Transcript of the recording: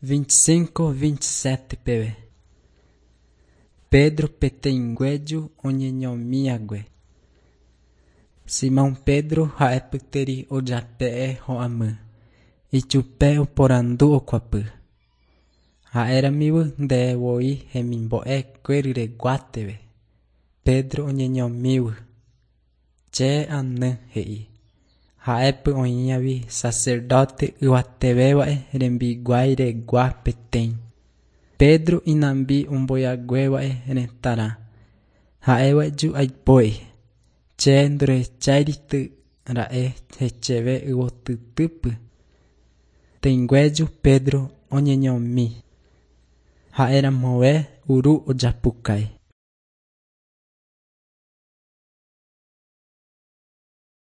25, 27 peve. Pedro peteĩ oñeñomihague. Simón Pedro ha'epyteri ojape'e ho'amy. Ichupe oporandu okuapy. Ha'eramívy ndevoi hemimbo'ekuéryreguáteve. Pedro oñeñomívy. Che any, he'i. Ha'épy oĩavi sacerdote yvatevéva'e rembiguairegua peteĩ. Pedro inambi ombojaguéva'e retãrã. Ha'évaju aipo'i. Che ndorehecháirityra'e chéve yvotytýpy. Teingueju Pedro oñeñomi. Ha'eramove uru ojapukái.